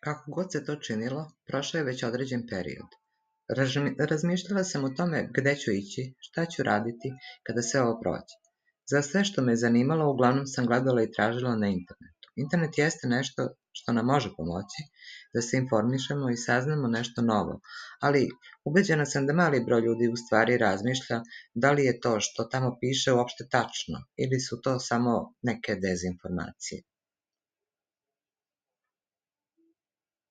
Kako god se to činilo, prošao je već određen period. Razmišljala sam o tome gde ću ići, šta ću raditi kada sve ovo prođe. Za sve što me zanimalo, uglavnom sam gledala i tražila na internetu. Internet jeste nešto što nam može pomoći da se informišemo i saznamo nešto novo, ali ubeđena sam da mali broj ljudi u stvari razmišlja da li je to što tamo piše uopšte tačno ili su to samo neke dezinformacije.